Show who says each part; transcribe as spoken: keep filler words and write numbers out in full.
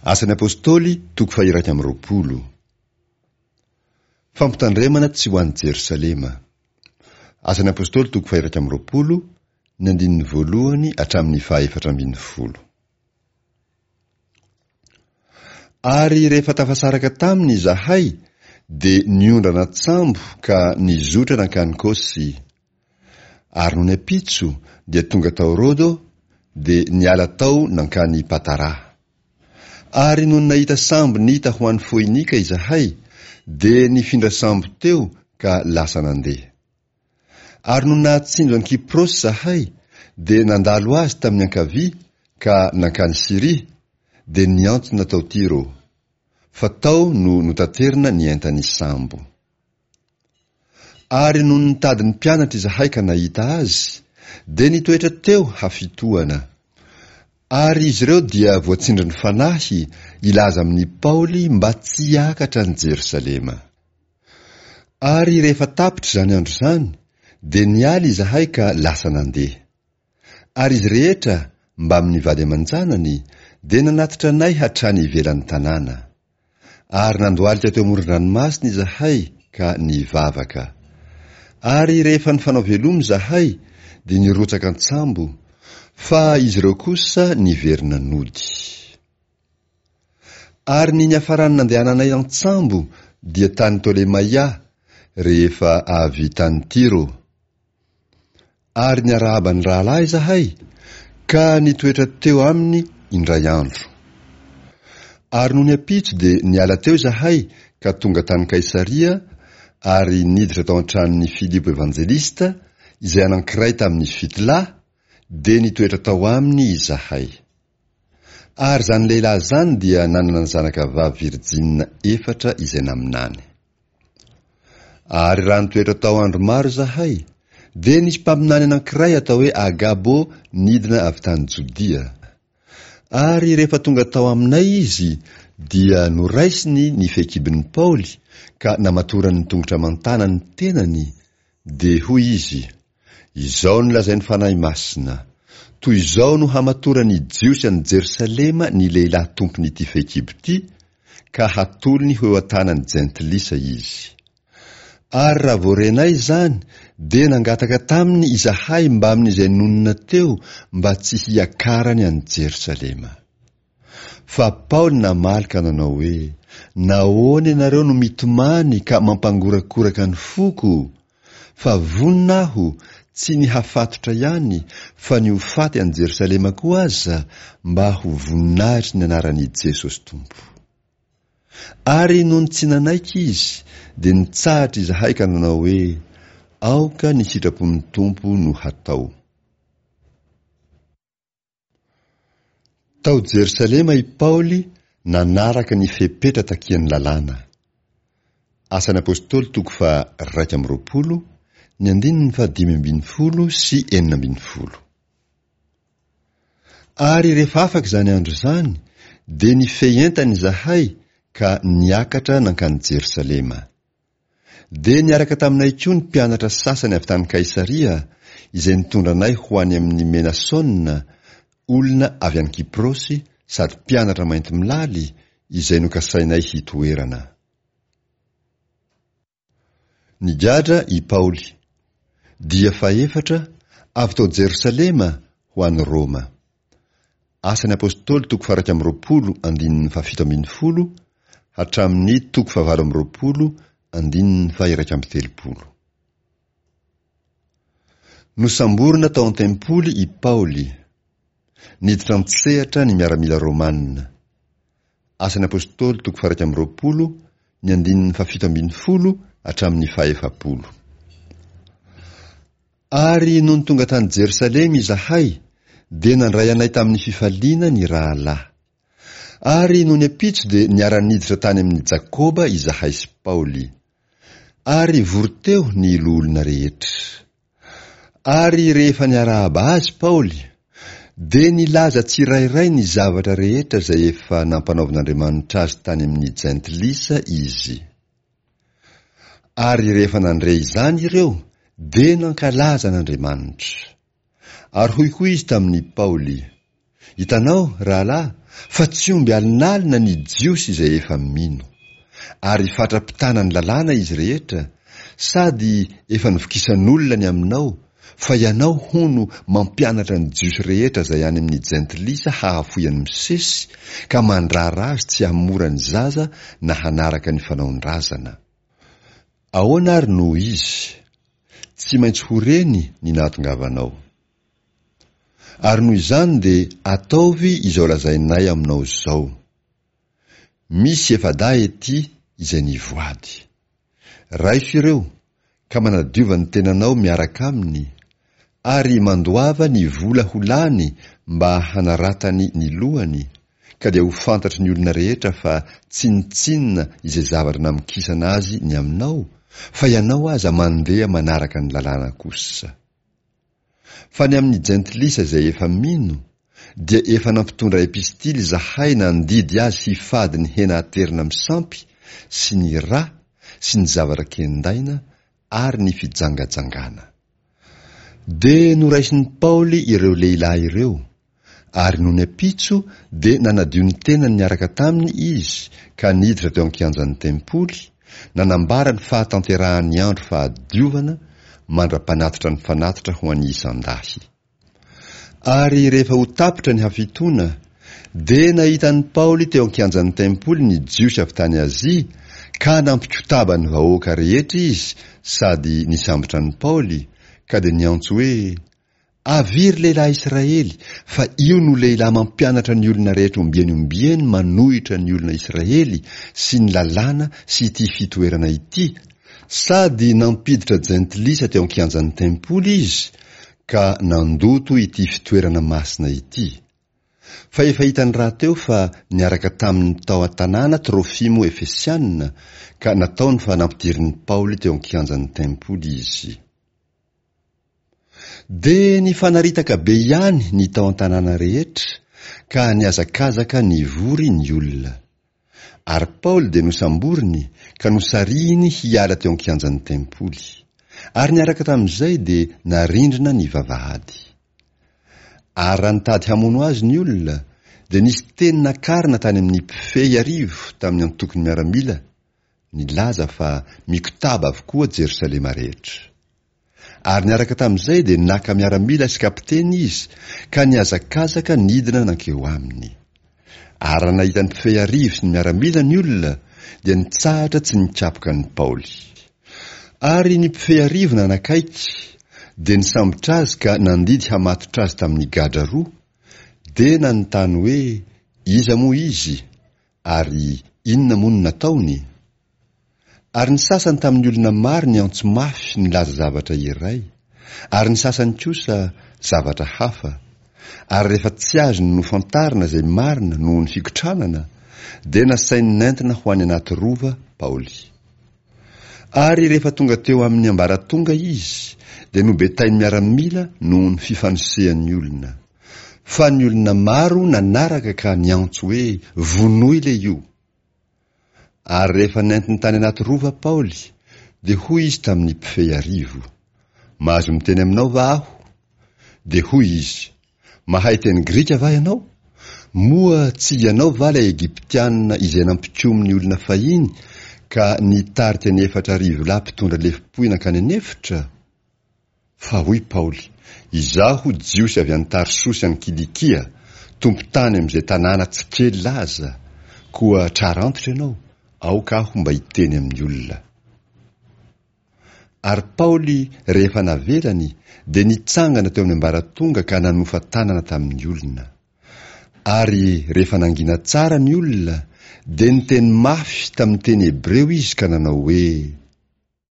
Speaker 1: Asan'ny Apostoly toko faha-iraika amby roapolo. Fampitandremana tsy ho any Jerosalema. Asan'ny Apostoly toko faha-iraika amby roapolo, ny andininy voalohany hatramin'ny faha-efatra ambin'ny folo. Ary rehefa tafasaraka taminy izahay, dia niondrana an-tsambo ka nizotra nankany Kosy. Ary nony ampitso dia tonga tao Rodo, dia niala tao nankany Patara. Ary nony nahita sambo nita ho any Foinika izahay, dia nifindra sambo teo ka lasa nandeha. Ary nony nahatsinjo an'i Kyprosy izahay, dia nandalo azy tamin'ny ankavia ka nankany Syria, dia niantsona tao Tyro, fa tao no notaterina ny entan'ny sambo. Ary nony nitady ny mpianatra izahay ka nahita azy, dia nitoetra teo hafitohana. Ary izy ireo dia voatsindrin'ny Fanahy hilaza amin'i Paoly mba tsy hiakatra any Jerosalema. Ary rehefa tapitra izany andro izany, dia niala izahay ka lasa nandeha. Ary izy rehetra, mbamin'ny vady aman-janany, dia nanatitra anay hatrany ivelan'ny tanàna. Ary nandohalika teo amoron-dranomasina izahay ka nivavaka. Ary rehefa nifanao veloma izahay, dia nirotsaka an-tsambo, fa izy ireo kosa niverina nody. Ary ny niafaran'ny nandehananay an-tsambo dia tany Tolemaia, rehefa avy tany Tyro. Ary niarahaba ny rahalahy izahay, ka nitoetra teo aminy indray andro. Ary nony ampitso dia niala teo izahay ka tonga tany Kaisaria, ary niditra tao an-tranon'i Filipo Evanjelista, izay anankiray tamin'ny fito lahy, dia nitoetra tao aminy izahay. Ary izany lehilahy izany dia nanana zanaka vavy virjinina efatra izay naminany. Ary raha nitoetra tao andro maro izahay, dia nisy mpaminany anankiray atao hoe Agabo nidina avy tany Jodia. Ary rehefa tonga tao aminay izy, dia noraisiny ny fehikibon'i Paoly ka namatorany ny tongotra aman-tanany tenany, dia hoy izy, Izao no lazain'ny Fanahy Masina, Toy izao no hamatoran'ny Jiosy any Jerosalema ny lehilahy tompon'ity fehikibo ity, ka hatolony ho eo an-tanan'ny jentilisa izy. Ary raha vao renay izany, dia nangataka taminy izahay mbamin'izay nonina teo mba tsy hiakarany any Jerosalema. Fa Paoly namaly ka nanao hoe, Nahoana ianareo no mitomany ka mampangorakoraka ny foko? Fa vonona aho, tsy ny hafatotra ihany, fa ny ho faty any Jerosalema koa aza, mba ho voninahitry ny anaran'i Jesosy Tompo. Ary nony tsy nanaiky izy, dia nitsahatra izahay ka nanao hoe, Aoka ny sitrapon'ny Tompo no hatao. Tao Jerosalema i Paoly nanaraka ny fepetra takian'ny lalàna. Asan'ny Apostoly toko faha-raika amby roapolo, ny andininy fahadimy ambin'ny folo sy enina ambin'ny folo. Ary rehefa afaka izany andro izany, dia nifehy entana izahay ka niakatra nankany Jerosalema. Dia niaraka taminay koa ny mpianatra sasany avy tany Kaisaria, izay nitondra anay ho any amin'i Menasona, olona avy any Kyprosy sady mpianatra mainty milaly, izay nokasainay hitoerana. Nigadra i Paoly. Dia fahefatra, avy tao Jerosalema ho any Roma. Asan'ny Apostoly toko faha-iraika amby roapolo andininy fahafito ambin'ny folo hatramin'ny toko fahavalo amby roapolo andininy faha-iraika amby telopolo. Nosamborina tao an-tempoly i Paoly. Niditra an-tsehatra ny miaramila romanina. Asan'ny Apostoly toko faha-iraika amby roapolo ny andininy fahafito ambin'ny folo hatramin'ny fahefapolo. Ary nony tonga tany Jerosalema izahay, dia nandray anay tamin'ny fifaliana ny rahalahy. Ary nony ampitso dia niara-niditra tany amin'i Jakoba izahay sy Paoly. Ary vory teo ny loholona rehetra. Ary rehefa niarahaba azy Paoly, dia nilaza tsirairay ny zavatra rehetra izay efa nampanaovin'Andriamanitra azy tany amin'ny jentilisa izy. Ary rehefa nandre izany ireo, dia nankalaza an'Andriamanitra. Ary hoy koa izy tamin'i Paoly, Hitanao, rahalahy, Fa tsy omby alinalina ny Jiosy izay efa mino. Ary fatra-pitana ny lalàna izy rehetra, sady efa novokisan'olona ny aminao, fa ianao hono mampianatra ny Jiosy rehetra izay any amin'ny jentilisa hahafoy an'i Mosesy, ka mandrara azy tsy hamora ny zaza na hanaraka ny fanaon-drazana. Ahoana ary no izy? Tsy maintsy ho reny ny nahatongavanao. Ary noho izany dia ataovy izao lazainay aminao izao. Misy efa-dahy ety izay nivoady. Raiso ireo, ka manadiova ny tenanao miaraka aminy, ary mandoava ny vola ho lany mba hanaratany ny lohany, ka dia ho fantatry ny olona rehetra fa tsinontsinona izay zavatra namokisana azy ny aminao, fa ianao aza mandeha manaraka ny lalàna kosa. Fa ny amin'ny jentilisa izay efa mino, dia efa nampitondra epistily izahay nandidy azy hifady ny hena aterina amin'ny sampy sy ny ra sy ny zavatra kendaina ary ny fijangajangana. Dia noraisin'i Paoly ireo lehilahy ireo, ary nony ampitso dia nanadio ny tenany niaraka taminy izy ka niditra teo an-kianjan'ny tempoly, nanambara ny fahatanterahan'ny andro fahadiovana mandra-panatitra ny fanatitra ho an'ny isan-dahy. Ary rehefa ho tapitra ny hafitoana, dia nahita an'i Paoly teo an-kianjan'ny tempoly ny Jiosy avy tany Azia, ka nampikotaba ny vahoaka rehetra izy sady nisambotra an'i Paoly, ka dia niantso hoe, Avia ry lehilahy Israely, fa io no lehilahy mampianatra ny olona rehetra ombieny ombieny manohitra ny olona Israely sy ny lalàna sy ity fitoerana ity, sady nampiditra jentilisa teo an-kianjan'ny tempoly izy, ka nandoto ity fitoerana masina ity. Fa efa hitany rahateo fa niaraka taminy tao an-tanàna Trofimo Efesiana, ka nataony fa nampidirin'i Paoly teo an-kianjan'ny tempoly izy. Dia nifanaritaka be ihany ny tao an-tanàna rehetra, ka nihazakazaka nivory ny olona. Ary Paoly dia nosamboriny ka nosarihiny hiala teo an-kianjan'ny tempoly. Ary niaraka tamin'izay dia narindrina ny vavahady. Ary raha nitady hamono azy ny olona, dia nisy teny nakarina tany amin'ny mpifehy arivo tamin'ny antokon'ny miaramila nilaza fa mikotaba avokoa Jerosalema rehetra. Ary niaraka tamin'izay dia naka miaramila sy kapiteny izy ka nihazakazaka nidina nankeo aminy. Ary raha nahita ny mpifehy arivo sy ny miaramila ny olona, dia nitsahatra tsy nikapoka an'i Paoly. Ary ny mpifehy arivo nanakaiky, dia nisambotra azy ka nandidy hamatotra azy tamin'ny gadra roa, dia nanontany hoe iza moa izy, ary inona moa no nataony? Ary ny sasany tamin'ny olona maro niantso mafy nilaza zavatra iray, ary ny sasany kosa zavatra hafa. Ary rehefa tsy azony nofantarina izay marina noho ny fikotranana, dia nasainy nentina ho any anaty rova Paoly. Ary rehefa tonga teo amin'ny ambaratonga izy, dia nobetain'ny miaramila noho ny fifanosehan'ny olona. Fa ny olona maro nanaraka ka niantso hoe, Vonoy ilay io! Ary rehefa nentiny tany anaty rova Paoly, dia hoy izy tamin'ny mpifehy arivo, Mahazo miteny aminao va aho? Dia hoy izy, Mahay teny grika va ianao? Moa tsy ianao va ilay Egyptiana izay nampikomy ny olona fahiny ka nitarika ny efatra arivo lahy mpitondra lefom-pohy nankany an'efitra? Fa hoy Paoly, Izaho Jiosy avy any Tarsosy any Kilikia, tompon-tany amin'izay tanàna tsy kely laza, koa trara antitra ianao, aoka aho mba hiteny amin'ny olona. Ary Paoly, rehefa navelany, dia nitsangana teo amin'ny ambaratonga ka nanofa tanana tamin'ny olona. Ary rehefa nangina tsara ny olona, dia niteny mafy tamin'ny teny hebreo izy ka nanao hoe,